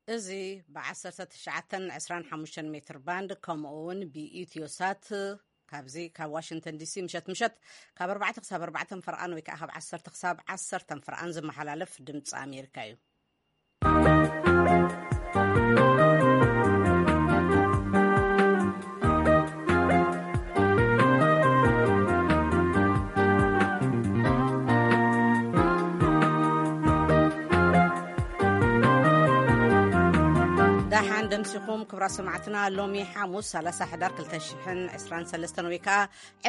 እዚ ብ19 25 ሜትር ባንድ፣ ከምኡ እውን ብኢትዮሳት፣ ካብዚ ካብ ዋሽንግተን ዲሲ ምሸት ምሸት ካብ ኣርባዕተ ክሳብ ኣርባዕተ ፈርቓን ወይ ከዓ ካብ ዓሰርተ ክሳብ ዓሰርተ ፈርቓን ዝመሓላለፍ ድምፂ ኣሜሪካ እዩ። ደሓን ደምሲኹም ክብራ ሰማዕትና። ሎሚ ሓሙስ ሰላሳ ሕዳር ክልተ ሽሕን ዕስራን ሰለስተን ወይ ከዓ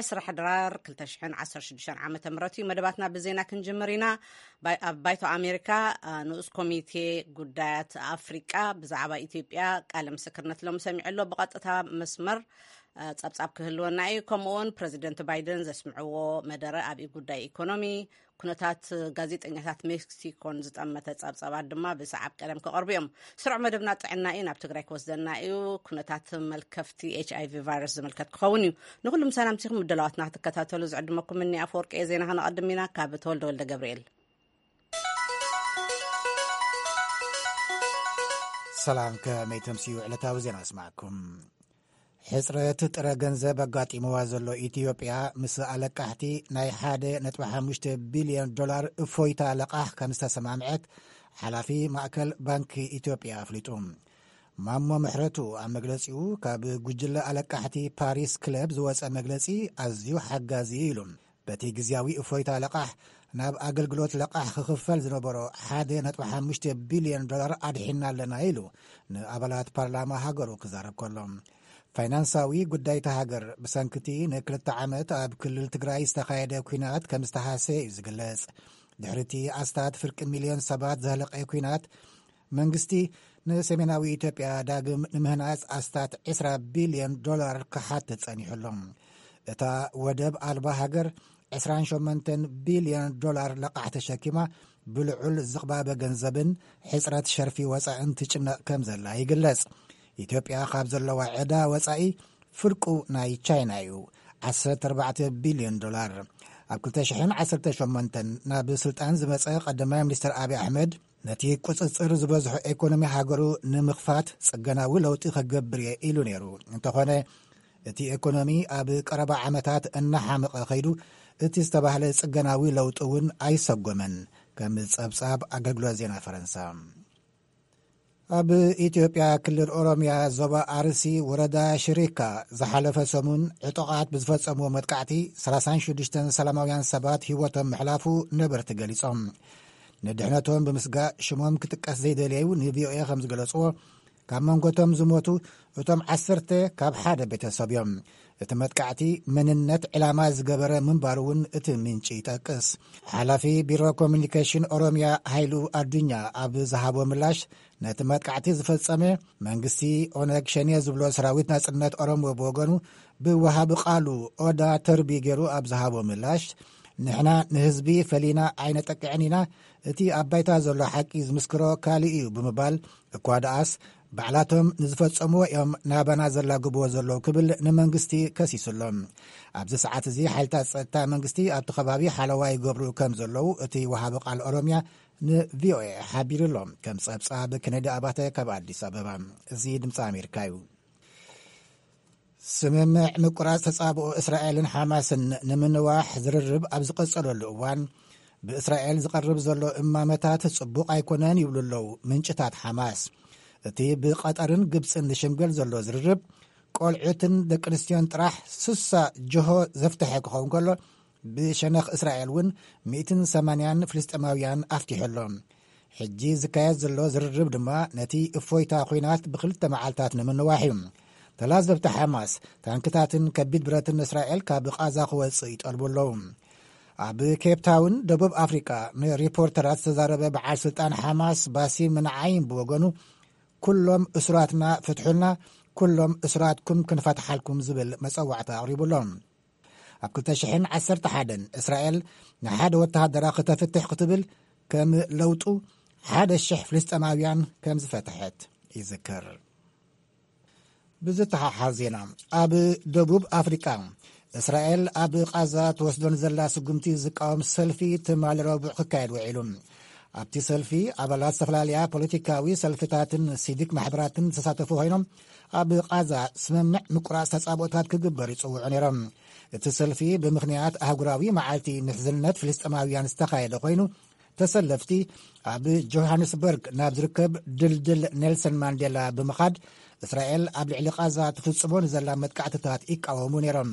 ዕስራ ሕዳር ክልተ ሽሕን ዓሰርተ ሽዱሽተን ዓመተ ምህረት እዩ። መደባትና ብዜና ክንጅምር ኢና። ባይ-፣ ኣብ ባይቶ ኣሜሪካ፣ አ፣ ንኡስ ኮሚቴ ጉዳያት ኣፍሪቃ ብዛዕባ ኢትዮጵያ ቃለ ምስክርነት ሎሚ ሰሚዑ ኣሎ። ብቐጥታ መስመር፣ አ፣ ጸብጻብ ክህልወና እዩ። ከምኡውን ፕረዚደንት ባይደን ዘስምዕዎ መደረ ኣብ ጉዳይ ኢኮኖሚ፣ ኩነታት ጋዜጠኛታት ሜክሲኮን ዝጠመተ ጸብጻባት ድማ ብሰዓብ ቀደም ክቐርቡ እዮም። ስሩዕ መደብና ጥዕና እዩ፣ ናብ ትግራይ ክወስደና እዩ። ኩነታት መልከፍቲ ኤች ኣይ ቪ ቫይረስ ዝምልከት ክኸውን እዩ። ንኹሉም ሰላም ሲኹም ምድላዋትና ክትከታተሉ ዝዕድመኩም እኒ ኣፈወርቂ እየ። ዜና ከነቐድም ኢና። ካብ ተወልደ ወልደ ገብርኤል። ሰላም፣ ከመይ ተምስዩ ዕለታዊ ዜና ኣስማዕኩም። ሕጽረት ጥረ ገንዘብ ኣጋጢምዋ ዘሎ ኢትዮጵያ፣ ምስ ኣለቃሕቲ ናይ ሓደ ነጥቢ ሓሙሽተ ቢልዮን ዶላር እፎይታ ለቓሕ ከም ዝተሰማምዐት ሓላፊ ማእከል ባንኪ ኢትዮጵያ ኣፍሊጡ። ማሞ ምሕረቱ ኣብ መግለጺኡ፣ ካብ ጉጅለ ኣለቃሕቲ ፓሪስ ክለብ ዝወጸ መግለጺ ኣዝዩ ሓጋዚ እዩ ኢሉ። በቲ ግዝያዊ እፎይታ ለቓሕ፣ ናብ ኣገልግሎት ለቓሕ ክኽፈል ዝነበሮ ሓደ ነጥቢ ሓሙሽተ ቢልዮን ዶላር ኣድሒና ኣለና ኢሉ ንኣባላት ፓርላማ ሃገሩ ክዛረብ ከሎ፣ ፋይናንሳዊ ጉዳይ እታ ሃገር ብሰንክቲ ንክልተ ዓመት ኣብ ክልል ትግራይ ዝተኻየደ ኲናት ከም ዝተሃሰየ እዩ ዝግለጽ። ድሕሪቲ ኣስታት ፍርቂ ሚልዮን ሰባት ዘህለቐ ኲናት፣ መንግስቲ ንሰሜናዊ ኢትዮጵያ ዳግም ንምህናጽ ኣስታት ዕስራ ቢልዮን ዶላር ክሓትት ጸኒሑ ኣሎ። እታ ወደብ ኣልባ ሃገር ዕስራን ሸሞንተን ቢልዮን ዶላር ለቓሕ ተሸኪማ፣ ብልዑል ዝቕባበ ገንዘብን ሕጽረት ሸርፊ ወጻእን ትጭነቕ ከም ዘላ ይግለጽ። ኢትዮጵያ ካብ ዘለዋ ዕዳ ወጻኢ ፍርቁ ናይ ቻይና እዩ፣ ዓሰርተ ኣርባዕተ ቢልዮን ዶላር። ኣብ ክልተ ሽሕን ዓሰርተ ሸሞንተን ናብ ስልጣን ዝመጸ ቀዳማይ ሚኒስትር ኣብይ ኣሕመድ፣ ነቲ ቁጽጽር ዝበዝሖ ኤኮኖሚ ሃገሩ ንምኽፋት ጽገናዊ ለውጢ ከገብር እየ ኢሉ ነይሩ። እንተኾነ፣ እቲ ኤኮኖሚ ኣብ ቀረባ ዓመታት እናሓመቐ ከይዱ፣ እቲ ዝተባህለ ጽገናዊ ለውጢ እውን ኣይሰጎመን፣ ከም ጸብጻብ ኣገልግሎት ዜና ፈረንሳ። ኣብ ኢትዮጵያ ክልል ኦሮሚያ ዞባ ኣርሲ ወረዳ ሽሪካ ዝሓለፈ ሰሙን ዕጡቓት ብዝፈጸምዎ መጥቃዕቲ ሰላሳን ሽዱሽተን ሰላማውያን ሰባት ህይወቶም ምሕላፉ ነበርቲ ገሊጾም። ንድሕነቶም ብምስጋእ ሽሞም ክጥቀስ ዘይደለዩ ንቪኦኤ ከም ዝገለጽዎ፣ ካብ መንጎቶም ዝሞቱ እቶም ዓሰርተ ካብ ሓደ ቤተሰብ እዮም። እቲ መጥቃዕቲ መንነት ዕላማ ዝገበረ ምንባሩ እውን እቲ ምንጪ ይጠቅስ። ሓላፊ ቢሮ ኮሚኒኬሽን ኦሮሚያ ሃይሉ ኣዱኛ ኣብ ዝሃቦ ምላሽ፣ ነቲ መጥቃዕቲ ዝፈጸመ መንግስቲ ኦነግ ሸኔ ዝብሎ ሰራዊት ናጽነት ኦሮሞ ብወገኑ ብወሃቢ ቃሉ ኦዳ ተርቢ ገይሩ ኣብ ዝሃቦ ምላሽ፣ ንሕና ንህዝቢ ፈሊና ኣይነጠቅዕን ኢና፣ እቲ ኣብ ባይታ ዘሎ ሓቂ ዝምስክሮ ካልእ እዩ ብምባል፣ እኳ ደኣስ ባዕላቶም ንዝፈጸምዎ እዮም ናባና ዘላግብዎ ዘለዉ ክብል ንመንግስቲ ከሲሱ ኣሎ። ኣብዚ ሰዓት እዚ ሓይልታት ጸጥታ መንግስቲ ኣብቲ ከባቢ ሓለዋ ይገብሩ ከም ዘለዉ እቲ ወሃቢ ቃል ኦሮሚያ ንቪኦኤ ሓቢሩ ኣሎ። ከም ጸብጻብ ኬነዲ ኣባተ ካብ ኣዲስ ኣበባ። እዚ ድምፂ ኣሜሪካ እዩ። ስምምዕ ምቁራጽ ተጻብኦ እስራኤልን ሓማስን ንምንዋሕ ዝርርብ ኣብ ዝቐጸለሉ እዋን፣ ብእስራኤል ዝቐርብ ዘሎ እማመታት ጽቡቕ ኣይኮነን ይብሉ ኣለዉ ምንጭታት ሓማስ። እቲ ብቐጠርን ግብጽን ዝሽምገል ዘሎ ዝርርብ፣ ቆልዑትን ደቂ ኣንስትዮን ጥራሕ ስሳ ጅሆ ዘፍትሐ ክኸውን ከሎ፣ ብሸነኽ እስራኤል እውን ሚእትን ሰማንያን ፍልስጤማውያን ኣፍቲሑ ኣሎ። ሕጂ ዝካየድ ዘሎ ዝርርብ ድማ ነቲ እፎይታ ኲናት ብኽልተ መዓልታት ንምንዋሕ እዩ። ተላዘብቲ ሓማስ ታንክታትን ከቢድ ብረትን እስራኤል ካብ ቓዛ ክወጽእ ይጠልቡ ኣለዉ። ኣብ ኬፕ ታውን ደቡብ ኣፍሪቃ ንሪፖርተራት ዝተዛረበ በዓል ስልጣን ሓማስ ባሲም ንዓይም ብወገኑ፣ "ኩሎም እሱራትና ፍትሑልና፣ ኩሎም እሱራትኩም ክንፈትሓልኩም" ዝብል መጸዋዕታ ኣቕሪቡ ኣሎ። ኣብ ክልተ ሽሕን ዓሰርተ ሓደን እስራኤል ንሓደ ወተሃደራ ክተፍትሕ ክትብል፣ ከም ለውጡ ሓደ ሽሕ ፍልስጤማውያን ከም ዝፈትሐት ይዝከር። ብዝተሓሓዝ ዜና፣ ኣብ ደቡብ ኣፍሪቃ እስራኤል ኣብ ቓዛ ትወስዶ ንዘላ ስጉምቲ ዝቃወም ሰልፊ ትማሊ ረቡዕ ክካየድ ውዒሉ። ኣብቲ ሰልፊ ኣባላት ዝተፈላለያ ፖለቲካዊ ሰልፍታትን ሲቪክ ማሕበራትን ዝተሳተፉ ኮይኖም፣ ኣብ ቓዛ ስምምዕ ምቁራጽ ተጻብኦታት ክግበር ይጽውዑ ነይሮም። እቲ ሰልፊ ብምኽንያት ኣህጉራዊ መዓልቲ ምሕዝነት ፍልስጤማውያን ዝተኻየደ ኮይኑ፣ ተሰለፍቲ ኣብ ጆሃንስበርግ ናብ ዝርከብ ድልድል ኔልሰን ማንዴላ ብምኻድ፣ እስራኤል ኣብ ልዕሊ ቓዛ ትፍጽሞ ንዘላ መጥቃዕትታት ይቃወሙ ነይሮም።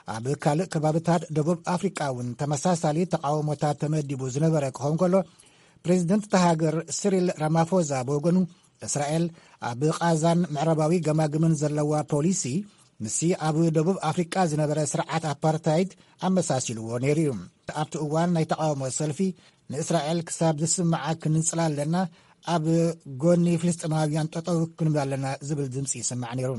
ኣብ ካልእ ከባብታት ደቡብ ኣፍሪቃ እውን ተመሳሳሊ ተቃውሞታት ተመዲቡ ዝነበረ ክኸውን ከሎ፣ ፕሬዚደንት እታ ሃገር ሲሪል ራማፎዛ ብወገኑ፣ እስራኤል ኣብ ቓዛን ምዕራባዊ ገማግምን ዘለዋ ፖሊሲ፣ ምስቲ ኣብ ደቡብ ኣፍሪቃ ዝነበረ ስርዓት ኣፓርታይድ ኣመሳሲልዎ ነይሩ እዩ። ኣብቲ እዋን ናይ ተቃውሞ ሰልፊ፣ ንእስራኤል ክሳብ ዝስምዓ ክንጽላ ኣለና፣ ኣብ ጎኒ ፍልስጥማውያን ጠጠው ክንብል ኣለና ዝብል ድምፂ ይስማዕ ነይሩ።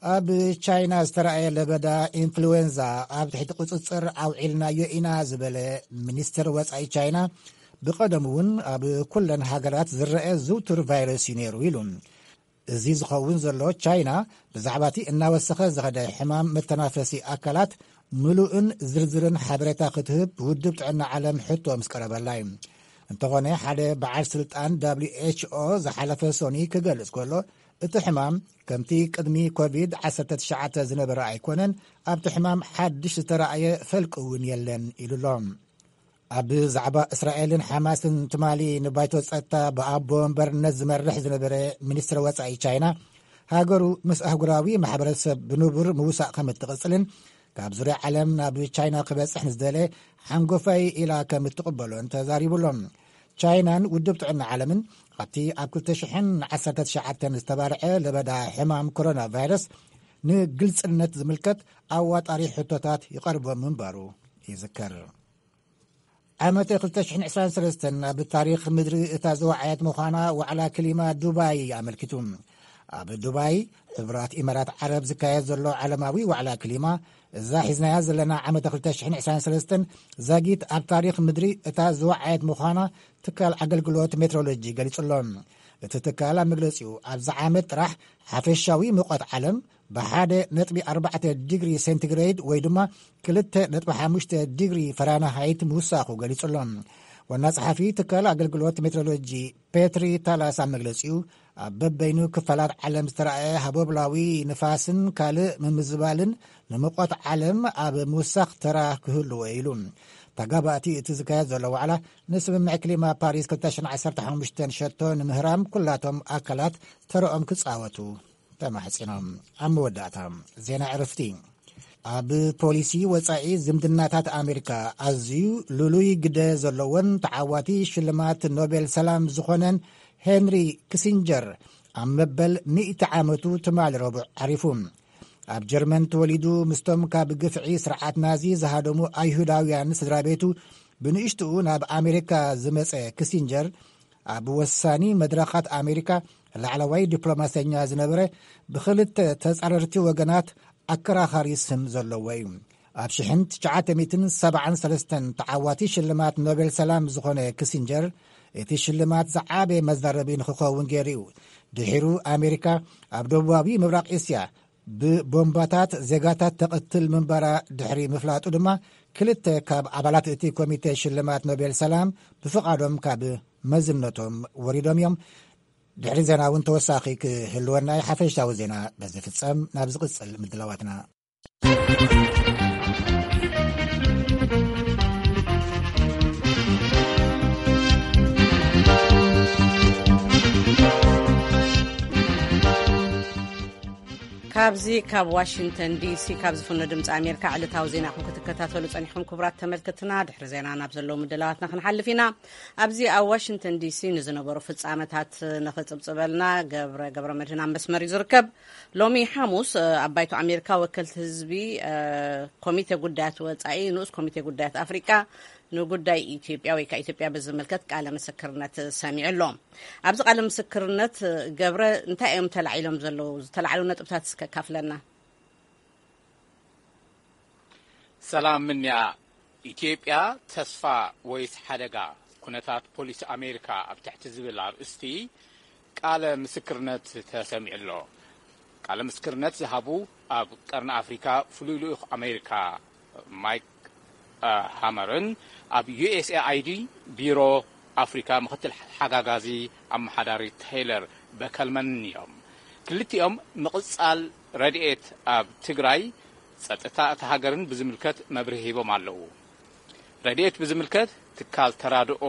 ኣብ ቻይና ዝተረኣየ ለበዳ ኢንፍሉዌንዛ ኣብ ትሕቲ ቁጽጽር ኣውዒልናዮ ኢና ዝበለ ሚኒስትር ወጻኢ ቻይና፣ ብቐደሙ እውን ኣብ ኩለን ሃገራት ዝረአ ዝውቱር ቫይረስ እዩ ነይሩ ኢሉ። እዚ ዝኸውን ዘሎ፣ ቻይና ብዛዕባ እቲ እናወሰኸ ዝኸደ ሕማም መተናፈሲ ኣካላት ምሉእን ዝርዝርን ሓበሬታ ክትህብ ውድብ ጥዕና ዓለም ሕቶ ምስ ቀረበላ እዩ። እንተኾነ፣ ሓደ በዓል ስልጣን ደብሊው ኤች ኦ ዝሓለፈ ሶኒ ክገልጽ ከሎ፣ እቲ ሕማም ከምቲ ቅድሚ ኮቪድ ዓሰርተ ትሽዓተ ዝነበረ ኣይኮነን፣ ኣብቲ ሕማም ሓድሽ ዝተራእየ ፈልቂ እውን የለን ኢሉ ኣሎ። ኣብ ዛዕባ እስራኤልን ሓማስን ትማሊ ንባይቶ ጸጥታ ብኣቦ ወንበርነት ዝመርሕ ዝነበረ ሚኒስትር ወጻኢ ቻይና፣ ሃገሩ ምስ ኣህጉራዊ ማሕበረሰብ ብንቡር ምውሳእ ከም እትቕጽልን፣ ካብ ዙርያ ዓለም ናብ ቻይና ክበጽሕ ንዝደለ ሓንጎፋይ ኢላ ከም እትቕበሎን ተዛሪቡ ኣሎ። ቻይናን ውድብ ጥዕና ዓለምን ኣብቲ ኣብ ክልተ ሽሕን ዓሰርተ ትሽዓተን ዝተባርዐ ለበዳ ሕማም ኮሮና ቫይረስ ንግልጽነት ዝምልከት ኣዋጣሪ ሕቶታት ይቐርቦም ምንባሩ ይዝከር። ዓመት ክልተ ሽሕን ዕስራን ሰለስተን ኣብ ታሪኽ ምድሪ እታ ዝወዓየት ምዃና ዋዕላ ክሊማ ዱባይ ኣመልኪቱ። ኣብ ዱባይ፣ ሕቡራት ኢማራት ዓረብ ዝካየድ ዘሎ ዓለማዊ ዋዕላ ክሊማ፣ እዛ ሒዝናያ ዘለና ዓመት ክልተ ሽሕን ዕስራን ሰለስተን ዛጊት ኣብ ታሪኽ ምድሪ እታ ዝወዓየት ምዃና ትካል ኣገልግሎት ሜትሮሎጂ ገሊጹ ኣሎ። እቲ ትካል ኣብ መግለጺኡ፣ ኣብዚ ዓመት ጥራሕ ሓፈሻዊ ሙቐት ዓለም ብሓደ ነጥቢ ኣርባዕተ ዲግሪ ሴንቲግሬድ ወይ ድማ ክልተ ነጥቢ ሓሙሽተ ዲግሪ ፈራንሃይት ምውሳኹ ገሊጹ ኣሎ። ዋና ጸሓፊ ትካል ኣገልግሎት ሜትሮሎጂ ፔትሪ ታላስ ኣብ መግለጺኡ፣ ኣብ በበይኑ ክፋላት ዓለም ዝተራእየ ሃቦብላዊ ንፋስን ካልእ ምምዝባልን ንሙቐት ዓለም ኣብ ምውሳኽ ተራ ክህልዎ ኢሉ። ተጋባእቲ እቲ ዝካየድ ዘሎ ዋዕላ ንስምምዕ ክሊማ ፓሪስ ክልተ ሽሕን ዓሰርተ ሓሙሽተን ሸቶ ንምህራም ኩላቶም ኣካላት ተረኦም ክጻወቱ ተማሕጺኖም። ኣብ መወዳእታ፣ ዜና ዕረፍቲ። ኣብ ፖሊሲ ወጻኢ ዝምድናታት ኣሜሪካ ኣዝዩ ልሉይ ግደ ዘለዎን ተዓዋቲ ሽልማት ኖቤል ሰላም ዝኾነን ሄንሪ ክሲንጀር ኣብ መበል ሚእቲ ዓመቱ ትማሊ ረቡዕ ዓሪፉ። ኣብ ጀርመን ተወሊዱ፣ ምስቶም ካብ ግፍዒ ስርዓት ናዚ ዝሃደሙ ኣይሁዳውያን ስድራ ቤቱ ብንእሽትኡ ናብ ኣሜሪካ ዝመጸ ክሲንጀር፣ ኣብ ወሳኒ መድረኻት ኣሜሪካ ላዕለዋይ ዲፕሎማሰኛ ዝነበረ፣ ብኽልተ ተጻረርቲ ወገናት ኣከራኻሪ ስም ዘለዎ እዩ። ኣብ ሽሕን ትሽዓተ ሚእትን ሰብዓን ሰለስተን ተዓዋቲ ሽልማት ኖቤል ሰላም ዝኾነ ክሲንጀር፣ እቲ ሽልማት ዝዓበየ መዛረቢ ንክኸውን ገይሩ እዩ። ድሒሩ ኣሜሪካ ኣብ ደቡባዊ ምብራቕ እስያ ብቦምባታት ዜጋታት ተቐትል ምንባራ ድሕሪ ምፍላጡ ድማ፣ ክልተ ካብ ኣባላት እቲ ኮሚቴ ሽልማት ኖቤል ሰላም ብፍቓዶም ካብ መዝነቶም ወሪዶም እዮም። ድሕሪ ዜና እውን ተወሳኺ ክህልወና እዩ። ሓፈሻዊ ዜና በዚ ፍጸም። ናብ ዝቕጽል ምድላዋትና። ካብዚ ካብ ዋሽንግተን ዲሲ ካብ ዝፍኖ ድምፂ ኣሜሪካ ዕለታዊ ዜናኹም ክትከታተሉ ጸኒሕኩም። ክቡራት ተመልክትና፣ ድሕሪ ዜና ናብ ዘለዉ ምድላዋትና ክንሓልፍ ኢና። ኣብዚ ኣብ ዋሽንግተን ዲሲ ንዝነበሩ ፍጻመታት ንኽጽብጽበልና ገብረ፣ ገብረ መድህን ኣብ መስመር እዩ ዝርከብ። ሎሚ ሓሙስ፣ እ፣ ኣብ ባይቶ ኣሜሪካ ወከልቲ ህዝቢ፣ እ፣ ኮሚቴ ጉዳያት ወጻኢ፣ ንኡስ ኮሚቴ ጉዳያት ኣፍሪቃ ንጉዳይ ኢትዮጵያ ወይ ከዓ ኢትዮጵያ ብዝምልከት ቃለ ምስክርነት ሰሚዑ ኣሎ። ኣብዚ ቃለ ምስክርነት፣ እ፣ ገብረ፣ እንታይ እዮም ተላዒሎም ዘለዉ? ዝተላዕሉ ነጥብታት እስከ ካፍለና። ሰላም ምንያ። ኢትዮጵያ፣ ተስፋ ወይስ ሓደጋ? ኩነታት ፖሊሲ ኣሜሪካ ኣብ ትሕቲ ዝብል ኣርእስቲ ቃለ ምስክርነት ተሰሚዑ ኣሎ። ቃለ ምስክርነት ዝሃቡ ኣብ ቀርኒ ኣፍሪካ ፍሉይ ልኡኽ ኣሜሪካ ማይክ፣ እ፣ ሃመርን ኣብ ዩ ኤስ ኤ ኣይ ዲ ቢሮ ኣፍሪካ ምክትል ሓጋጋዚ ኣመሓዳሪ ቴይለር በከልመንን እዮም። ክልቲኦም ምቕጻል ረድኤት ኣብ ትግራይ ጸጥታ እታ ሃገርን ብዝምልከት መብርሂ ሂቦም ኣለዉ። ረድኤት ብዝምልከት ትካል ተራድኦ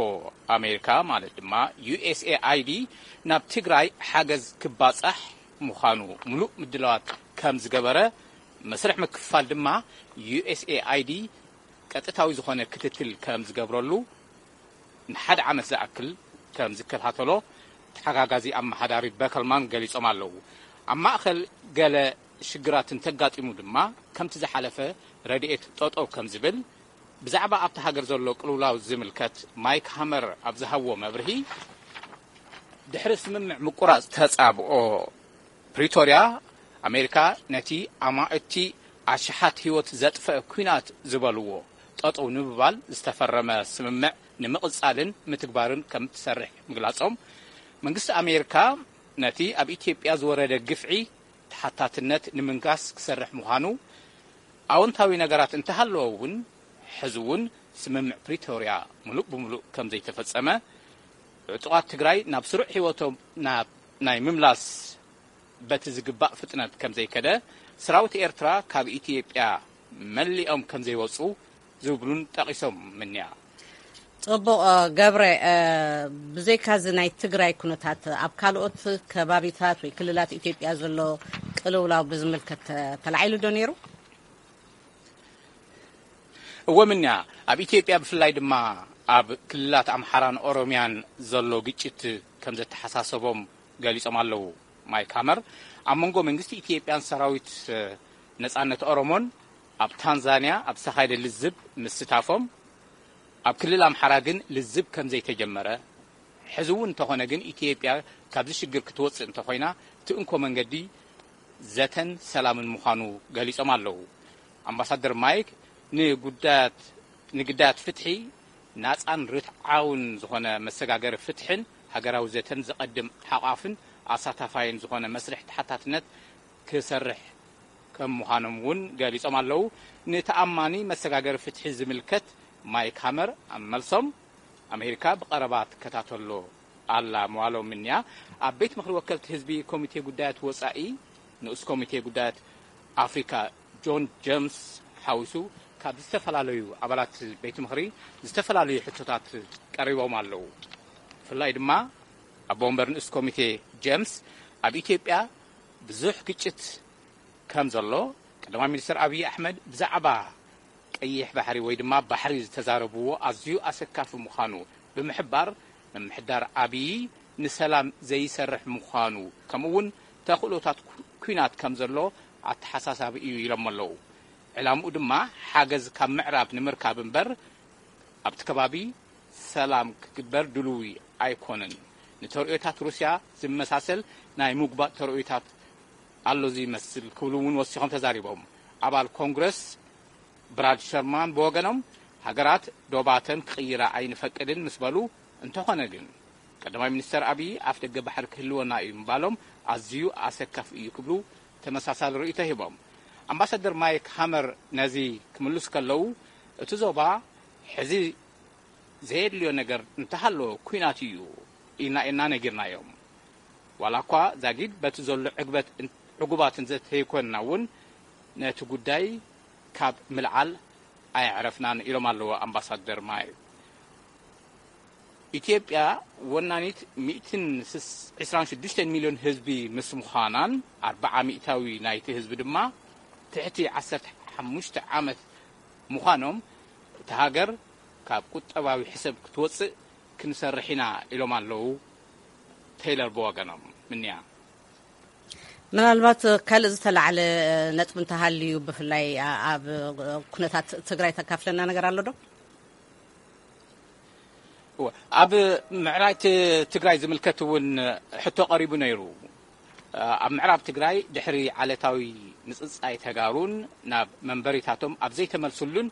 ኣሜሪካ ማለት ድማ ዩ ኤስ ኤ ኣይ ዲ ናብ ትግራይ ሓገዝ ክባጻሕ ምዃኑ ምሉእ ምድላዋት ከም ዝገበረ፣ መስርሕ ምክፍፋል ድማ ዩ ኤስ ኤ ኣይ ዲ ቀጥታዊ ዝኾነ ክትትል ከም ዝገብረሉ ንሓደ ዓመት ዝኣክል ከም ዝከታተሎ ተሓጋጋዚ ኣመሓዳሪ በከልማን ገሊጾም ኣለዉ። ኣብ ማእከል ገለ ሽግራት እንተጋጢሙ ድማ ከምቲ ዝሓለፈ ረድኤት ጠጠው ከም ዝብል ብዛዕባ ኣብቲ ሃገር ዘሎ ቅልውላው ዝምልከት ማይክ ሃመር ኣብ ዝሃብዎ መብርሂ፣ ድሕሪ ስምምዕ ምቁራጽ ተጻብኦ ፕሪቶርያ፣ ኣሜሪካ ነቲ ኣማእቲ ኣሽሓት ህይወት ዘጥፈአ ኲናት ዝበልዎ ጠጠው ንምባል ዝተፈረመ ስምምዕ ንምቕጻልን ምትግባርን ከም ትሰርሕ ምግላጾም፣ መንግስቲ ኣሜሪካ ነቲ ኣብ ኢትዮጵያ ዝወረደ ግፍዒ ተሓታትነት ንምንጋስ ክሰርሕ ምዃኑ፣ ኣወንታዊ ነገራት እንተሃለወ እውን፣ ሕዚ እውን ስምምዕ ፕሪቶርያ ምሉእ ብምሉእ ከም ዘይተፈጸመ፣ ዕጡቓት ትግራይ ናብ ስሩዕ ህይወቶም ናብ ናይ ምምላስ በቲ ዝግባእ ፍጥነት ከም ዘይከደ፣ ሰራዊት ኤርትራ ካብ ኢትዮጵያ መሊኦም ከም ዘይወጹ ዝብሉን ጠቒሶም ምንያ። ጽቡቕ። ገብረ፣ ብዘይካዚ ናይ ትግራይ ኩነታት ኣብ ካልኦት ከባቢታት ወይ ክልላት ኢትዮጵያ ዘሎ ቅልውላው ብዝምልከት ተላዒሉ ዶ ነይሩ? እወ ምንያ፣ ኣብ ኢትዮጵያ ብፍላይ ድማ ኣብ ክልላት ኣምሓራን ኦሮምያን ዘሎ ግጭት ከም ዘተሓሳሰቦም ገሊጾም ኣለዉ። ማይክ ሃመር ኣብ መንጎ መንግስቲ ኢትዮጵያን ሰራዊት ነጻነት ኦሮሞን ኣብ ታንዛንያ ኣብ ዝተኻየደ ልዝብ ምስታፎም፣ ኣብ ክልል ኣምሓራ ግን ልዝብ ከም ዘይተጀመረ፣ ሕዚ እውን እንተኾነ ግን ኢትዮጵያ ካብዚ ሽግር ክትወፅእ እንተኾይና እቲ እንኮ መንገዲ ዘተን ሰላምን ምዃኑ ገሊጾም ኣለዉ። ኣምባሳደር ማይክ ንጉዳያት ንግዳያት ፍትሒ፣ ናጻን ርትዓውን ዝኾነ መሰጋገሪ ፍትሕን ሃገራዊ ዘተን ዘቐድም ሓቋፍን ኣሳታፋይን ዝኾነ መስርሕ ተሓታትነት ክሰርሕ ከም ምዃኖም እውን ገሊጾም ኣለዉ። ንተኣማኒ መሰጋገሪ ፍትሒ ዝምልከት ማይክ ሃመር ኣብ መልሶም፣ ኣሜሪካ ብቐረባ ትከታተሎ ኣላ ምባሎም ምንያ፣ ኣብ ቤት ምኽሪ ወከልቲ ህዝቢ ኮሚቴ ጉዳያት ወጻኢ ንኡስ ኮሚቴ ጉዳያት ኣፍሪካ ጆን ጀምስ ሓዊሱ ካብ ዝተፈላለዩ ኣባላት ቤት ምኽሪ ዝተፈላለዩ ሕቶታት ቀሪቦም ኣለዉ። ብፍላይ ድማ ኣቦ ወንበር ንኡስ ኮሚቴ ጀምስ ኣብ ኢትዮጵያ ብዙሕ ግጭት ከም ዘሎ ቀዳማይ ሚኒስትር ኣብይ ኣሕመድ ብዛዕባ ቀይሕ ባሕሪ ወይ ድማ ባሕሪ ዝተዛረብዎ ኣዝዩ ኣሰካፊ ምዃኑ ብምሕባር፣ ምምሕዳር ኣብይ ንሰላም ዘይሰርሕ ምዃኑ፣ ከምኡ እውን ተኽእሎታት ኩ- ኲናት ከም ዘሎ ኣተሓሳሳቢ እዩ ኢሎም ኣለዉ። ዕላምኡ ድማ ሓገዝ ካብ ምዕራብ ንምርካብ እምበር ኣብቲ ከባቢ ሰላም ክግበር ድልዊ ኣይኮነን። ንተርእዮታት ሩስያ ዝመሳሰል ናይ ምጉባጥ ተርእዮታት ኣሎ ዝመስል ክብሉ እውን ወሲኾም ተዛሪቦም። ኣባል ኮንግረስ ብራድ ሸርማን ብወገኖም፣ ሃገራት ዶባተን ክቕይራ ኣይንፈቅድን ምስ በሉ፣ እንተኾነ ግን ቀዳማይ ሚኒስተር ኣብዪ ኣፍ ደገ ባሕሪ ክህልወና እዩ ምባሎም ኣዝዩ ኣሰካፊ እዩ ክብሉ ተመሳሳሊ ርእይቶ ሂቦም። ኣምባሳደር ማይክ ሃመር ነዚ ክምልሱ ከለዉ፣ እቲ ዞባ ሕዚ ዘየድልዮ ነገር እንተሃለወ ኲናት እዩ ኢልና ኢና ነጊርናዮም። ዋላ እኳ ዛጊድ በቲ ዘሎ ዕግበት ዕጉባት እንተዘይኮንና እውን ነቲ ጉዳይ ካብ ምልዓል ኣየዕረፍናን ኢሎም ኣለዉ ኣምባሳደር ማይክ። ኢትዮጵያ ወናኒት ሚእትን ዕስራን ሽዱሽተን ሚልዮን ህዝቢ ምስ ምዃናን ኣርብዓ ሚእታዊ ናይቲ ህዝቢ ድማ ትሕቲ ዓሰርተ ሓሙሽተ ዓመት ምዃኖም እታ ሃገር ካብ ቁጠባዊ ሕሰብ ክትወፅእ ክንሰርሕ ኢና ኢሎም ኣለዉ። ቴይለር ብወገኖም ምንያ ምናልባት ካልእ ዝተላዕለ ነጥቢ እንተሃልዩ ብፍላይ ኣብ ኩነታት ትግራይ ተካፍለና ነገር ኣሎ ዶ? ኣብ ምዕራብ ትግራይ ዝምልከት እውን ሕቶ ቀሪቡ ነይሩ። ኣብ ምዕራብ ትግራይ ድሕሪ ዓለታዊ ምፅፃይ ተጋሩን ናብ መንበሪታቶም ኣብ ዘይተመልሱሉን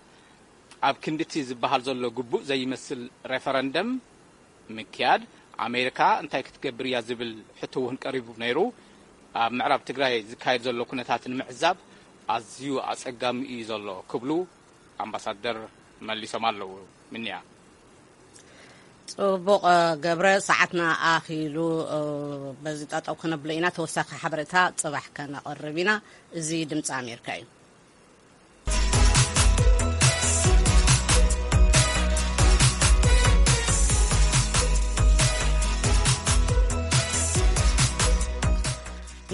ኣብ ክንድቲ ዝበሃል ዘሎ ግቡእ ዘይመስል ሬፈረንደም ምክያድ ኣሜሪካ እንታይ ክትገብር እያ ዝብል ሕቶ እውን ቀሪቡ ነይሩ። ኣብ ምዕራብ ትግራይ ዝካየድ ዘሎ ኩነታት ንምዕዛብ ኣዝዩ ኣፀጋሚ እዩ ዘሎ ክብሉ ኣምባሳደር መሊሶም ኣለዉ። ምንያ ጽቡቕ ገብረ፣ ሰዓትና ኣኺሉ፣ በዚ ጠጠው ክነብሎ ኢና። ተወሳኺ ሓበሬታ ጽባሕ ከነቕርብ ኢና። እዚ ድምፂ ኣሜሪካ እዩ።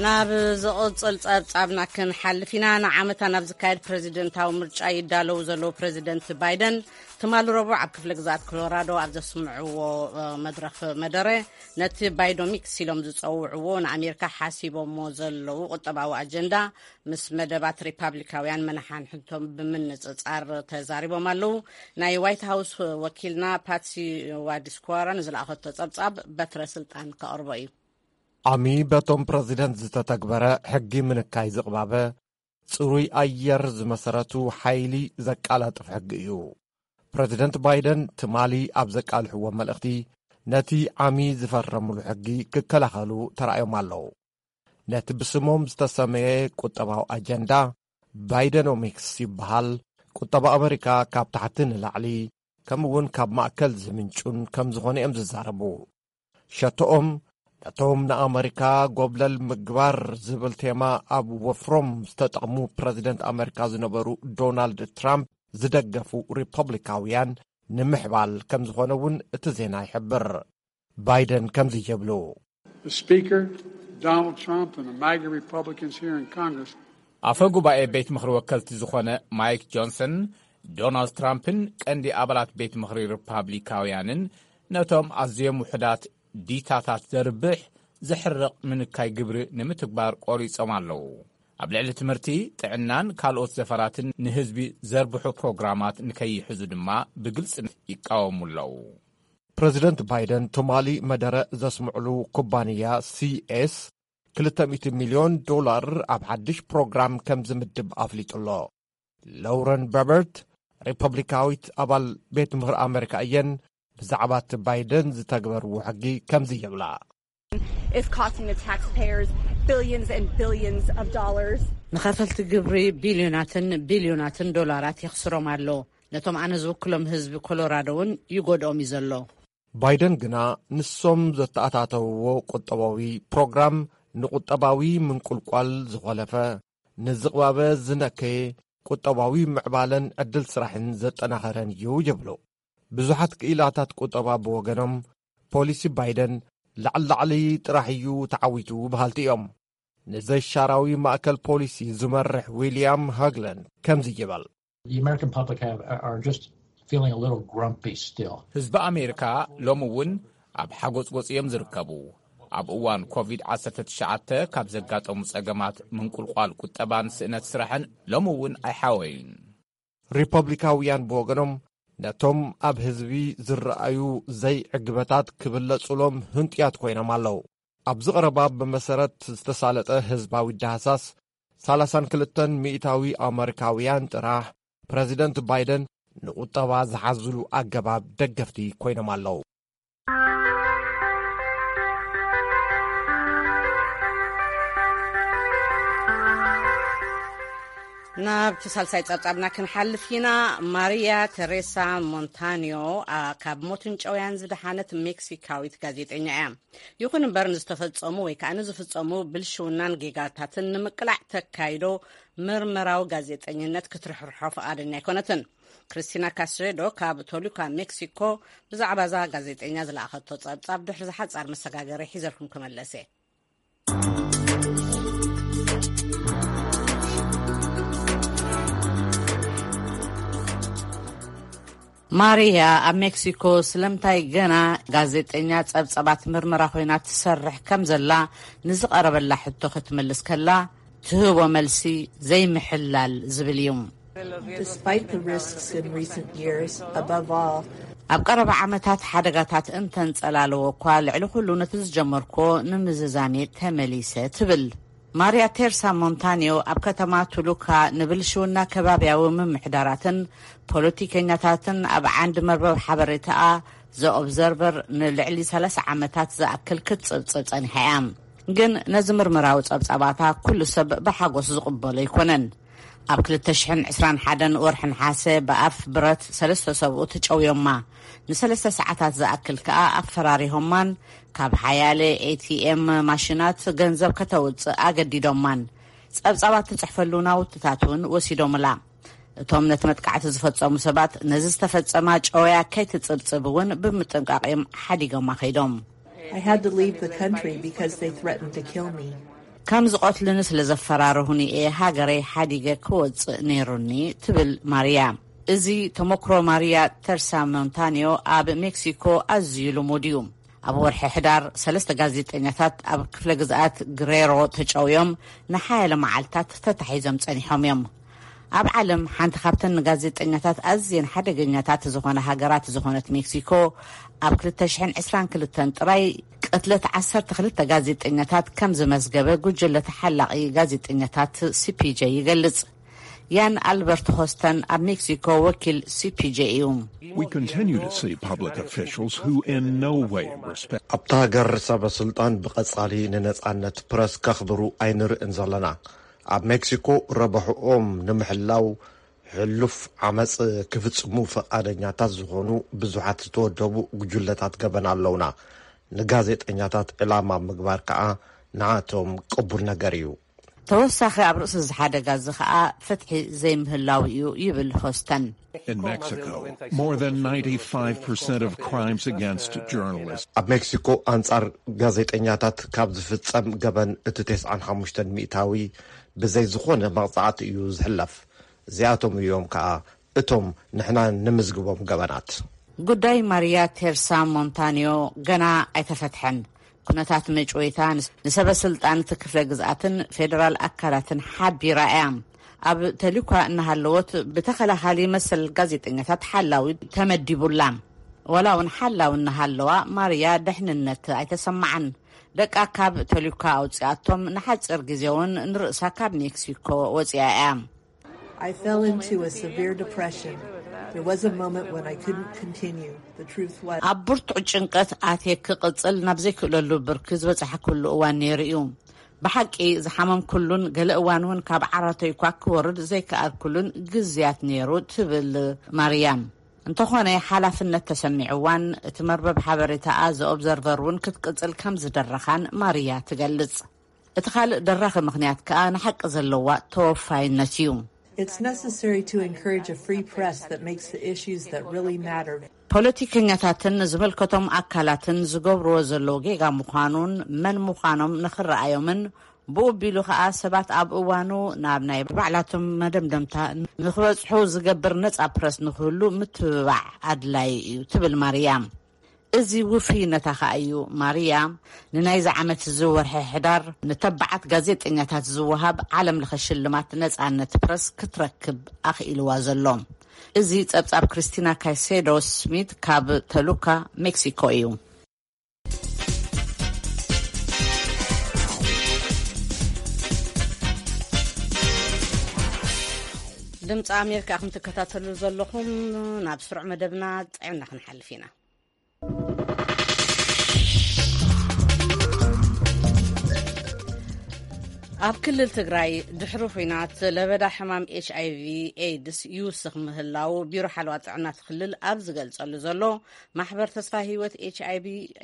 ናብ ዝቕጽል ጸብጻብና ክንሓልፍ ኢና። ንዓመታ ናብ ዝካየድ ፕሬዚደንታዊ ምርጫ ይዳለዉ ዘለዉ ፕሬዚደንት ባይደን፣ ትማሊ ረቡዕ ኣብ ክፍለ ግዝኣት ኮሎራዶ ኣብ ዘስምዕዎ መድረኽ መደረ፣ ነቲ ባይዶሚክስ ኢሎም ዝጸውዕዎ ንኣሜሪካ ሓሲቦሞ ዘለዉ ቁጠባዊ ኣጀንዳ ምስ መደባት ሪፓብሊካውያን መነሓንሕቶም ብምንጽጻር ተዛሪቦም ኣለዉ። ናይ ዋይት ሃውስ ወኪልና ፓትሲ ዋዲስኳራ ንዝለኣኸቶ ጸብጻብ በትረ ስልጣን ከቕርቦ እዩ። ኣሚ በቶም ፕረዚደንት ዝተተግበረ ሕጊ ምንካይ ዝቕባበ ጽሩይ ኣየር ዝመሰረቱ ሓይሊ ዘቃላጥፍ ሕጊ እዩ። ፕረዚደንት ባይደን ትማሊ ኣብ ዘቃልሕዎ መልእኽቲ፣ ነቲ ዓሚ ዝፈረምሉ ሕጊ ክከላኸሉ ተራእዮም ኣለዉ። ነቲ ብስሞም ዝተሰመየ ቁጠባዊ ኣጀንዳ ባይደኖሚክስ ይበሃል። ቁጠባ ኣመሪካ ካብ ታሕቲ ንላዕሊ፣ ከምኡ እውን ካብ ማእከል ዝምንጩን ከም ዝኾነ እዮም ዝዛረቡ። ሸቶኦም ነቶም ንኣመሪካ ጎብለል ምግባር ዝብል ቴማ ኣብ ወፍሮም ዝተጠቕሙ ፕረዚደንት ኣመሪካ ዝነበሩ ዶናልድ ትራምፕ ዝደገፉ ሪፐብሊካውያን ንምሕባል ከም ዝኾነ እውን እቲ ዜና ይሕብር። ባይደን ከምዚ ይብሉ። The Speaker, Donald Trump, and the MAGA Republicans here in Congress ኣፈ ጉባኤ ቤት ምኽሪ ወከልቲ ዝኾነ ማይክ ጆንሰን፣ ዶናልድ ትራምፕን ቀንዲ ኣባላት ቤት ምኽሪ ሪፓብሊካውያንን ነቶም ኣዝዮም ውሑዳት ዲታታት ዘርብሕ፣ ዘሕርቕ ምንካይ ግብሪ ንምትግባር ቆሪጾም ኣለዉ። ኣብ ልዕሊ ትምህርቲ፣ ጥዕናን ካልኦት ዘፈራትን ንህዝቢ ዘርብሑ ፕሮግራማት ንከይሕዙ ድማ ብግልጺ ይቃወሙ ኣለዉ። ፕረዚደንት ባይደን ትማሊ መደረ ዘስምዕሉ ኩባንያ ሲኤስ ክልተ ሚእቲ ሚልዮን ዶላር ኣብ ሓድሽ ፕሮግራም ከም ዝምድብ ኣፍሊጡ ኣሎ። ሎረን በበርት ሪፐብሊካዊት ኣባል ቤት ምኽሪ ኣመሪካ እየን። ብዛዕባ እቲ ባይደን ዝተግበርዎ ሕጊ ከምዚ ይብላ። Is costing the taxpayers billions and billions of dollars. ንኸፈልቲ ግብሪ ቢልዮናትን ቢልዮናትን ዶላራት የኽስሮም ኣሎ። ነቶም ኣነ ዝውክሎም ህዝቢ ኮሎራዶ እውን ይጎድኦም እዩ ዘሎ። ባይደን ግና ንሶም ዘተኣታተውዎ ቁጠባዊ ፕሮግራም ንቁጠባዊ ምንቁልቋል ዝኾለፈ፣ ንዝቕባበ ዝነከየ ቁጠባዊ ምዕባለን ዕድል ስራሕን ዘጠናኸረን እዩ ይብሉ። ብዙሓት ክኢላታት ቁጠባ ብወገኖም፣ ፖሊሲ ባይደን ላዕሊ ላዕሊ ጥራሕ እዩ ተዓዊቱ በሃልቲ እዮም። ንዘይሻራዊ ማእከል ፖሊሲ ዝመርሕ ዊልያም ሃግላንድ ከምዚ ይበል። The American public have, are just feeling a little grumpy still. ህዝቢ ኣሜሪካ ሎሚ እውን ኣብ ሓጎጽጎጽ እዮም ዝርከቡ። ኣብ እዋን ኮቪድ ዓሰርተ ትሽዓተ ካብ ዘጋጠሙ ጸገማት ምንቁልቋል ቁጠባን ስእነት ስራሕን ሎሚ እውን ኣይሓወዩን። ሪፐብሊካውያን ብወገኖም ነቶም ኣብ ህዝቢ ዝረኣዩ ዘይዕግበታት ክብለጹሎም ህንጡያት ኮይኖም ኣለዉ። ኣብዚ ቀረባ ብመሰረት ዝተሳለጠ ህዝባዊ ዳህሳስ፣ ሰላሳን ክልተን ሚእታዊ ኣመሪካውያን ጥራሕ ፕረዚደንት ባይደን ንቁጠባ ዝሓዝሉ ኣገባብ ደገፍቲ ኮይኖም ኣለዉ። ናብቲ ሳልሳይ ጸብጻብና ክንሓልፍ ኢና። ማሪያ ቴሬሳ ሞንታኒዮ፣ ኣ፣ ካብ ሞትን ጨውያን ዝደሓነት ሜክሲካዊት ጋዜጠኛ እያ። ይኹን እምበር፣ ንዝተፈጸሙ ወይ ከኣ ንዝፍጸሙ ብልሽውናን ጌጋታትን ንምቅላዕ ተካይዶ ምርመራዊ ጋዜጠኝነት ክትርሕርሖ ፍቓደኛ ኣይኮነትን። ክሪስቲና ካስሬዶ ካብ ቶሉካ ሜክሲኮ ብዛዕባ እዛ ጋዜጠኛ ዝለኣኸቶ ጸብጻብ ድሕሪ ዝሓጻር መሰጋገሪ ሒዘልኩም ክመለስ እየ። ማሪያ ኣብ ሜክሲኮ ስለምንታይ ገና ጋዜጠኛ ጸብጻባት ምርመራ ኮይና ትሰርሕ ከም ዘላ ንዝቐረበላ ሕቶ ክትምልስ ከላ ትህቦ መልሲ ዘይምሕላል ዝብል እዩ። Despite the risks in recent years, above all, ኣብ ቀረባ ዓመታት ሓደጋታት እንተንጸላለዎ እኳ፣ ልዕሊ ኩሉ ነቲ ዝጀመርኮ ንምዝዛሜ ተመሊሰ ትብል። ማሪያ ቴርሳ ሞንታኒዮ ኣብ ከተማ ቱሉካ ንብልሽውና ከባብያዊ ምምሕዳራትን ፖለቲከኛታትን ኣብ ዓንዲ መርበብ ሓበሬታኣ ዘ ኦብዘርቨር ንልዕሊ ሰላሳ ዓመታት ዝኣክል ክትጽብጽብ ጸኒሓ እያ። ግን ነዚ ምርምራዊ ጸብጻባታ ኩሉ ሰብ ብሓጎስ ዝቕበሎ ኣይኮነን። ኣብ ክልተ ሽሕን ዕስራን ሓደን ወርሒ ነሓሰ ብኣፍ ብረት ሰለስተ ሰብኡት ጨውዮማ። ንሰለስተ ሰዓታት ዝኣክል ከኣ ኣፈራሪሆማን ካብ ሓያለ ኤቲኤም ማሽናት ገንዘብ ከተውጽእ ኣገዲዶማን። ጸብጻባት ትጽሕፈሉ ናውትታት እውን ወሲዶምላ። እቶም ነቲ መጥቃዕቲ ዝፈጸሙ ሰባት ነዚ ዝተፈጸማ ጨውያ ከይትጽብጽብ እውን ብምጥንቃቕ እዮም ሓዲጎማ ከይዶም። I had to leave the country because they threatened to kill me. ከም ዝቐትልኒ ስለ ዘፈራርሁኒ እየ ሃገረይ ሓዲገ ክወጽእ ነይሩኒ፣ ትብል ማርያ። እዚ ተመክሮ ማርያ ተርሳ ሞንታንዮ ኣብ ሜክሲኮ ኣዝዩ ልሙድ እዩ። ኣብ ወርሒ ሕዳር ሰለስተ ጋዜጠኛታት ኣብ ክፍለ ግዝኣት ግሬሮ ተጨውዮም ንሓያለ መዓልታት ተታሒዞም ጸኒሖም እዮም። ኣብ ዓለም ሓንቲ ካብተን ንጋዜጠኛታት ኣዝየን ሓደገኛታት ዝኾነ ሃገራት ዝኾነት ሜክሲኮ፣ ኣብ ክልተ ሽሕን ዕስራን ክልተን ጥራይ ቅትለት ዓሰርተ ክልተ ጋዜጠኛታት ከም ዝመዝገበ ጉጅለ ተሓላቒ ጋዜጠኛታት ሲፒጄ ይገልጽ። ያን ኣልበርት ሆስተን ኣብ ሜክሲኮ ወኪል ሲፒጄ እዩ። We continue to see public officials who in no way respect ኣብታ ሃገር ሰበ ስልጣን ብቐጻሊ ንነጻነት ፕረስ ከኽብሩ ኣይንርእን ዘለና። ኣብ ሜክሲኮ ረብሕኦም ንምሕላው ሕሉፍ ዓመጽ ክፍጽሙ ፈቓደኛታት ዝኾኑ ብዙሓት ዝተወደቡ ጉጅለታት ገበን ኣለውና። ንጋዜጠኛታት ዕላማ ምግባር ከኣ ንዓቶም ቅቡል ነገር እዩ። ተወሳኺ ኣብ ርእሲ እዚ ሓደጋ እዚ ከኣ ፍትሒ ዘይምህላው እዩ ይብል ሆስተን። In Mexico, more than ninety-five percent of crimes against journalists ኣብ ሜክሲኮ ኣንጻር ጋዜጠኛታት ካብ ዝፍጸም ገበን እቲ ተስዓን ሓሙሽተን ሚእታዊ ብዘይ ዝኾነ መቕጻዕቲ እዩ ዝሕለፍ። እዚኣቶም እዮም ከኣ እቶም ንሕና ንምዝግቦም ገበናት። ጉዳይ ማርያ ቴርሳ ሞንታንዮ ገና ኣይተፈትሐን። ኩነታት መጭወይታ ንሰበ ስልጣን እቲ ክፍለ ግዝኣትን ፌደራል ኣካላትን ሓቢራ እያ። ኣብ ተልኳ እናሃለወት ብተኸላኻሊ መሰል ጋዜጠኛታት ሓላዊ ተመዲቡላ። ዋላ እውን ሓላዊ እናሃለዋ ማርያ ደሕንነት ኣይተሰማዓን። ደቃ ካብ ተልኳ ኣውፅኣቶም ንሓፂር ግዜ እውን ንርእሳ ካብ ሜክሲኮ ወፂኣ እያ። I fell into a severe depression. There was a moment when I couldn't continue. The truth was. ኣብ ብርቱዕ ጭንቀት ኣትየ ክቕጽል ናብ ዘይክእለሉ ብርኪ ዝበጻሕኩሉ እዋን ነይሩ እዩ። ብሓቂ ዝሓመምኩሉን ገለ እዋን እውን ካብ ዓራተይ እኳ ክወርድ ዘይከኣልኩሉን ግዝያት ነይሩ ትብል ማርያም። እንተኾነ ሓላፍነት ተሰሚዕዋን እቲ መርበብ ሓበሬታኣ ዘኦብዘርቨር እውን ክትቅጽል ከም ዝደረኻን ማርያ ትገልጽ። እቲ ካልእ ደራኺ ምኽንያት ከኣ ንሓቂ ዘለዋ ተወፋይነት እዩ። It's necessary to encourage a free press that makes the issues that really matter. ፖለቲከኛታትን ዝመልከቶም ኣካላትን ዝገብርዎ ዘለዉ ጌጋ ምዃኑን መን ምዃኖም ንኽረኣዮምን ብኡ ቢሉ ኸኣ ሰባት ኣብ እዋኑ ናብ ናይ ባዕላቶም መደምደምታ ንኽበጽሑ ዝገብር ነጻ ፕረስ ንኽህሉ ምትብባዕ ኣድላይ እዩ ትብል ማርያ። እዚ ውፍይነታ ኸኣ እዩ ማርያ ንናይዚ ዓመት እዚ ወርሒ ሕዳር ንተባዓት ጋዜጠኛታት ዝወሃብ ዓለም ለኸ ሽልማት ነጻነት ፕረስ ክትረክብ ኣኽኢልዋ ዘሎ። እዚ ጸብጻብ ክሪስቲና ካይሴዶ ስሚት ካብ ተሉካ ሜክሲኮ እዩ። ድምፂ ኣሜሪካ ኢኹም ትከታተሉ ዘለኹም። ናብ ስሩዕ መደብና ጥዕና ክንሓልፍ ኢና። ኣብ ክልል ትግራይ ድሕሪ ኹናት ለበዳ ሕማም ኤች ኣይቪ ኤድስ ይውስኽ ምህላው ቢሮ ሓለዋ ጥዕና እቲ ክልል ኣብ ዝገልጸሉ ዘሎ፣ ማሕበር ተስፋ ህይወት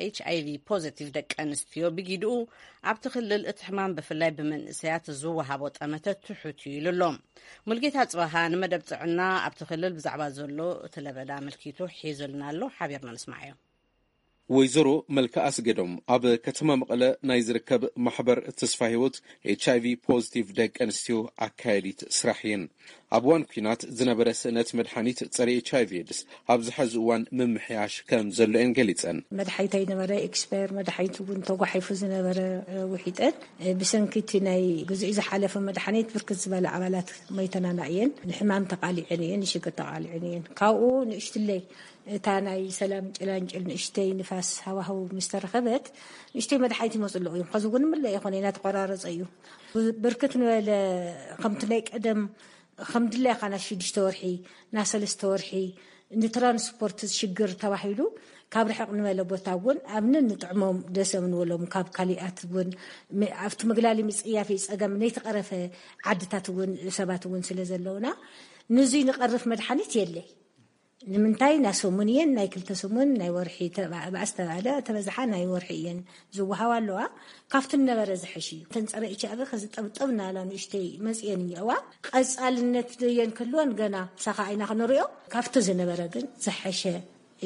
ኤች ኣይቪ ፖዚቲቭ ደቂ ኣንስትዮ ብጊድኡ ኣብቲ ክልል እቲ ሕማም ብፍላይ ብመንእሰያት ዝወሃቦ ጠመተ ትሑት እዩ ኢሉ ኣሎ። ሙልጌታ ጽባሃ ንመደብ ጥዕና ኣብቲ ክልል ብዛዕባ ዘሎ እቲ ለበዳ ኣመልኪቱ ሒዙልና ኣሎ። ሓቢርና ንስማዓዮ። ወይዘሮ መልክኣ ኣስገዶም ኣብ ከተማ መቐለ ናይ ዝርከብ ማሕበር ተስፋ ህይወት ኤች ኣይቪ ፖዚቲቭ ደቂ ኣንስትዮ ኣካያዲት ስራሕ እየን። ኣብ እዋን ኲናት ዝነበረ ስእነት መድሓኒት ጸረ ኤች ኣይቪ ኤድስ ኣብዚ ሐዚ እዋን ምምሕያሽ ከም ዘሎ እየን ገሊጸን። መድሓኒት ኣይነበረ ኤክስፓየር መድሓኒት እውን ተጓሒፉ ዝነበረ ውሒጠን ብሰንኪ እቲ ናይ ግዜኡ ዝሓለፈ መድሓኒት ብርክት ዝበለ ኣባላት መይተናና እየን። ንሕማም ተቓሊዐን እየን፣ ንሽግር ተቓሊዐን እየን። ካብኡ ንእሽትለይ እታ ናይ ሰላም ጭላንጭል ንእሽተይ ንፋስ ሃዋህው ምስ ተረኸበት ንእሽተይ መድሓኒት ይመፁ ኣለዉ እዮም። ሕዚ እውን ምለ ይኾነ እናተቆራረፀ እዩ። ብርክት ንበለ ከምቲ ናይ ቀደም ከም ድላይካ ናይ ሽዱሽተ ወርሒ ናይ ሰለስተ ወርሒ ንትራንስፖርት ሽግር ተባሂሉ ካብ ርሕቕ ንበለ ቦታ እውን ኣብ ንጥዕሞም ደሰም ንበሎም ካብ ካሊኣት እውን ም- ኣብቲ ምግላሊ ምፅያፊ ፀገም ነይተቐረፈ ዓድታት እውን ሰባት እውን ስለ ዘለውና ንዙይ ንቐርፍ መድሓኒት የለይ። ንምንታይ ናይ ሰሙን እየን ናይ ክልተ ሰሙን ናይ ወርሒ ተባ- ባእስ ተባለ ተበዝሓ ናይ ወርሒ እየን ዝወሃባ ኣለዋ። ካብቲ ነበረ ዝሐሽ እዩ። ተንፀረ ኢቻ ከዚ ጠብጠብ ናላ ንእሽተይ መፅየን እኒአዋ። ቀፃልነት የን ክህልወን ገና ሳኻ ኣይና ክንሪኦ። ካብቲ ዝነበረ ግን ዝሐሸ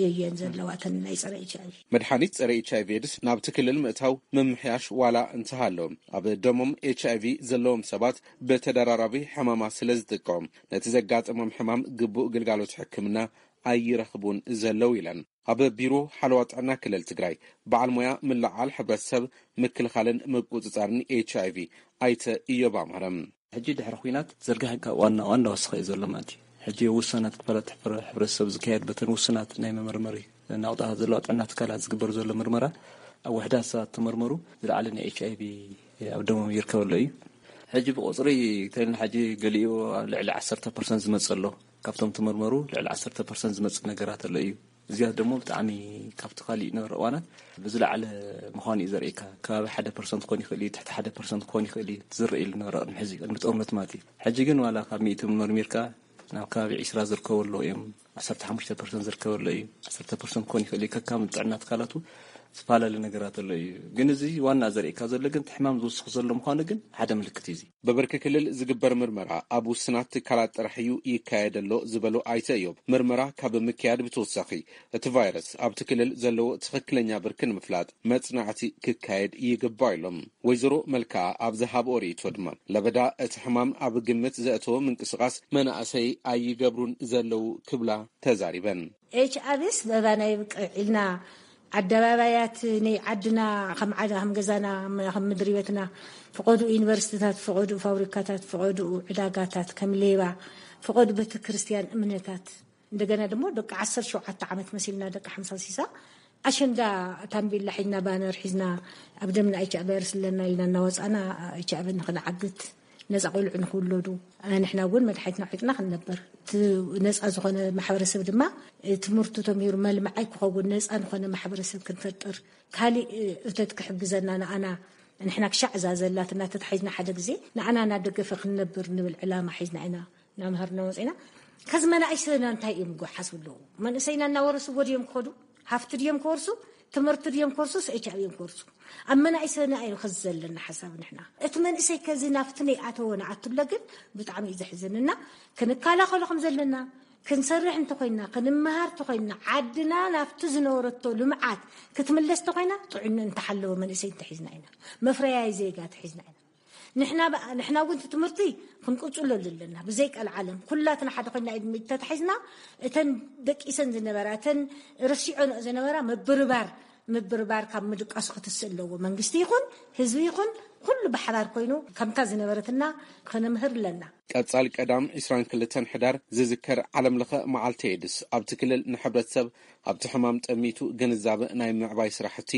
እየን ዘለዋ ተን ናይ ፀረ ኢቻ። መድሓኒት ጸረ ኤች ኣይቪ ኤድስ ናብቲ ክልል ምእታው ምምሕያሽ ዋላ እንተሃለዎም፣ ኣብ ደሞም ኤች ኣይቪ ዘለዎም ሰባት ብተደራራቢ ሕማማት ስለ ዝጥቀሙ፣ ነቲ ዘጋጠሞም ሕማም ግቡእ ግልጋሎት ሕክምና ኣይረኽቡን ዘለዉ ኢለን። ኣብ ቢሮ ሓለዋ ጥዕና ክልል ትግራይ በዓል ሞያ ምልዓል ሕብረተሰብ ምክልኻልን ምቁፅፃርን ኤች ኣይቪ ኣይተ እዮብ ኣማረ። ሕጂ ድሕሪ ኹናት ዘርጋሕካ ዋና ዋና ወስኸ እዩ ዘሎ ማለት እዩ። ሕጂ ውሰናት ክፋላት ሕብረተሰብ ዝካየድ በተን ውስናት ናይ መመርመሪ ናውጣታት ዘለዋ ጥዕና ትካላት ዝግበር ዘሎ ምርመራ ኣብ ውሕዳት ሰባት ተመርመሩ ዝለዓለ ናይ ኤች ኣይቪ ኣብ ደሞም ይርከበሎ እዩ። ሕጂ ብቁፅሪ ተልና ሕጂ ገሊኡ ኣብ ልዕሊ ዓሰርተ ፐርሰንት ዝመፅእ ኣሎ። ካብቶም ተመርመሩ ልዕሊ ዓሰርተ ፐርሰንት ዝመፅእ ነገራት ኣሎ እዩ። እዚያት ደሞ ብጣዕሚ ካብቲ ካሊእ ነበረ እዋናት ብዝለዓለ ምዃኑ እዩ ዘርእካ። ከባቢ ሓደ ፐርሰንት ክኾን ይኽእል እዩ፣ ትሕቲ ሓደ ፐርሰንት ክኾን ይኽእል እዩ። ዝረእ ኢሉ ነበረ ቅድሚ ሕዚ፣ ቅድሚ ጦርነት ማለት እዩ። ሕጂ ግን ዋላ ካብ ሚእቲ መርሚርካ ናብ ከባቢ ዒስራ ዝርከበሉ እዮም። ዓሰርተ ሓሙሽተ ፐርሰንት ዝርከበሉ እዩ። ዓሰርተ ፐርሰንት ክኾን ይኽእል እዩ። ከካም ጥዕና ትካላቱ ዝፈላለ ነገራት ኣሎ እዩ። ግን እዚ ዋና ዘርእካ ዘሎ ግን እቲ ሕማም ዝውስኽ ዘሎ ምዃኑ ግን ሓደ ምልክት እዩ። እዚ ብብርኪ ክልል ዝግበር ምርመራ ኣብ ውስናት ትካላት ጥራሕ እዩ ይካየድ ኣሎ ዝበሉ ኣይተ እዮብ፣ ምርመራ ካብ ምክያድ ብተወሳኺ እቲ ቫይረስ ኣብቲ ክልል ዘለዎ ትኽክለኛ ብርኪ ንምፍላጥ መጽናዕቲ ክካየድ ይግባእ ኢሎም። ወይዘሮ መልክኣ ኣብ ዝሃብኦ ርእይቶ ድማ፣ ለበዳ እቲ ሕማም ኣብ ግምት ዘእተወ ምንቅስቓስ መናእሰይ ኣይገብሩን ዘለዉ ክብላ ተዛሪበን። ኤች ኣቪስ በባና ይብቅዕ ኢልና ኣደባባያት ናይ ዓድና ከም ዓዳ ከም ገዛና ከም ምድሪ ቤትና ፍቐዱ ዩኒቨርሲቲታት ፍቐዱ ፋብሪካታት ፍቐዱ ዕዳጋታት ከም ሌባ ፍቐዱ ቤተ ክርስቲያን እምነታት እንደገና ድማ ደቂ ዓሰርተ ሸውዓተ ዓመት መሲልና ደቂ ሓምሳ ሲሳ ኣሸንዳ ታምቤላ ሒዝና ባነር ሒዝና ኣብ ደምና ኤች ኣይቪ ቫይረስ ኣለና ኢልና እናወፃና ኤች ኣይቪ ንክንዓግት ነፃ ቆልዑ ንክውለዱ ንሕና እውን መድሓኒትና ሒጥና ክንነብር እቲ ነፃ ዝኾነ ማሕበረሰብ ድማ ትምህርቱ ተምሂሩ መልምዓይ ክኸውን ነፃ ዝኾነ ማሕበረሰብ ክንፈጥር ካሊእ እተት ክሕግዘና ንኣና ንሕና ክሻዕ እዛ ዘላትና ተታሒዝና ሓደ ግዜ ንኣና እናደገፈ ክንነብር ንብል ዕላማ ሒዝና ኢና እናምሃርና ወፂና። ከዚ መናእሰይና እንታይ እዮም ጎሓስቡ ኣለዉ? መንእሰይና እናወረስዎ ድዮም ክኸዱ? ሃፍቲ ድዮም ክወርሱ? ትምህርቲ ድዮም ክወርሱ? ኤች ኣይቪ እዮም ክወርሱ። ኣብ መናእሰይና እዩ ከዚ ዘለና ሓሳብ ንሕና እቲ መንእሰይ ከዚ ናብቲ ነይኣተወ ንኣትብለ ግን ብጣዕሚ እዩ ዘሕዝንና። ክንከላኸሎ ከም ዘለና ክንሰርሕ እንተኮይንና ክንመሃር እንተኮይንና ዓድና ናብቲ ዝነበረቶ ልምዓት ክትምለስ እንተኮይና ጥዕኑ እንተሓለወ መንእሰይ እንተሒዝና ኢና መፍረያይ ዜጋ ተሒዝና ኢና ንሕና በ- ንሕና እውን እቲ ትምህርቲ ክንቅፅለሉ ኣለና ብዘይ ቀልዓለም ኩላትና ሓደ ኮይና ኢድ ተታሒዝና እተን ደቂሰን ዝነበራ እተን ረሲዖንኦ ዝነበራ ምብርባር ምብርባር ካብ ምድቃሱ ክትስእ ኣለዎ መንግስቲ ይኹን ህዝቢ ይኹን ኩሉ ብሓባር ኮይኑ ከምታ ዝነበረትና ከነምህር ኣለና። ቀጻል ቀዳም ዕስራን ክልተን ሕዳር ዝዝከር ዓለምለኸ መዓልቲ ኤድስ ኣብቲ ክልል ንሕብረተሰብ ኣብቲ ሕማም ጠሚቱ ግንዛበ ናይ ምዕባይ ስራሕቲ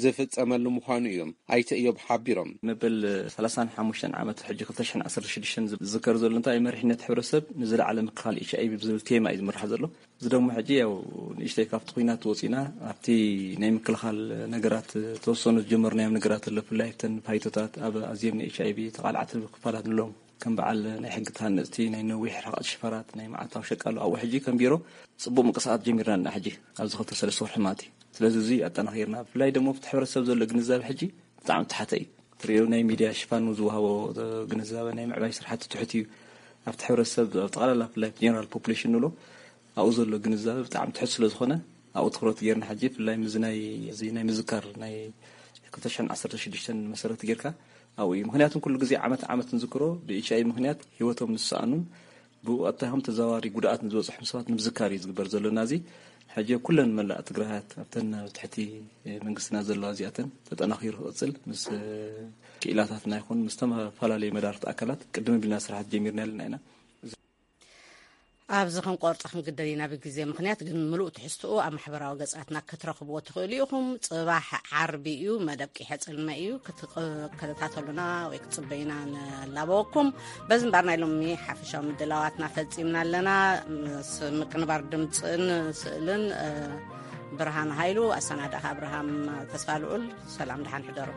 ዝፍጸመሉ ምዃኑ እዮም ኣይተ እዮብ ሓቢሮም። መበል ሰላሳን ሓሙሽተን ዓመት ሕጂ ክልተ ሽሕን ዓሰርተ ሽዱሽተን ዝዝከር ዘሎ እንታይ መሪሕነት ሕብረተሰብ ንዝለዓለ ምክልኻል ኤች ኣይ ቪ ብዝብል ቴማ እዩ ዝምራሕ ዘሎ። እዚ ደሞ ሕጂ ያው ንእሽተይ ካብቲ ኲናት ወፂና ኣብቲ ናይ ምክልኻል ነገራት ተወሰኑ ዝጀመርናዮም ነገራት ኣሎ። ብፍላይ ኣብተን ፋይቶታት ኣብ ኣዝዮም ንኤች ኣይ ቪ ተቓልዓቲ ክፋላት ንሎም ከም በዓል ናይ ሕጊ ተሃነፅቲ ናይ ነዊሕ ርሕቐት ሽፈራት ናይ መዓልታዊ ሸቃሎ ኣብኡ ሕጂ ከም ቢሮ ፅቡቅ ምንቅስቃሳት ጀሚርና ኣለና። ሕጂ ኣብዚ ክልተ ሰለስተ ወርሒ ማለት እዩ። ስለዚ እዚ ኣጠናኺርና ብፍላይ ደሞ ኣብቲ ሕብረተሰብ ዘሎ ግንዛበ ሕጂ ብጣዕሚ ተሓተ እዩ። ትሪኦ ናይ ሚድያ ሽፋን ዝወሃቦ ግንዛበ ናይ ምዕባይ ስራሕቲ ትሑት እዩ። ኣብቲ ሕብረተሰብ ኣብ ጠቕላላ ብፍላይ ጀነራል ፖፑሌሽን ንብሎ ኣብኡ ዘሎ ግንዛበ ብጣዕሚ ትሑት ስለ ዝኾነ ኣብኡ ትኹረት ጌርና ሕጂ ብፍላይ ምዚ ናይ እዚ ናይ ምዝካር ናይ ክልተ ሽሕን ዓሰርተ ሽዱሽተን መሰረት ጌርካ ኣብኡ እዩ። ምክንያቱ ኩሉ ግዜ ዓመት ዓመት ንዝክሮ ብ ኤች ኣይ ቪ ምክንያት ሂወቶም ንዝሰኣኑን ብቀጥታ ይኹን ተዘዋዋሪ ጉድኣት ንዝበፅሖም ሰባት ንምዝካር እዩ ዝግበር ዘሎ። ናዚ ሕጂ ኩለን መላእ ትግራያት ኣብተን ኣብ ትሕቲ መንግስትና ዘለዋ እዚኣተን ተጠናኺሩ ክቕፅል ምስ ክኢላታትና ይኹን ምስ ዝተፈላለዩ መዳርግቲ ኣካላት ቅድም ኣቢልና ስራሓት ጀሚርና ኣለና ኢና። ኣብዚ ክንቆርጾ ክንግደድ ኢና ብግዜ ምኽንያት፣ ግን ምሉእ ትሕዝትኡ ኣብ ማሕበራዊ ገጻትና ክትረኽብዎ ትኽእሉ ኢኹም። ጽባሕ ዓርቢ እዩ፣ መደብ ቂሐ ጽልመ እዩ። ክትከታተሉና ወይ ክትጽበዩና ንላበወኩም። በዚ እምበኣር ናይ ሎሚ ሓፈሻዊ ምድላዋትና ፈጺምና ኣለና። ምስ ምቅንባር ድምጽን ስእልን ብርሃን ሃይሉ፣ ኣሰናዳእኻ ኣብርሃም ተስፋ ልዑል። ሰላም፣ ደሓን ሕደሩ።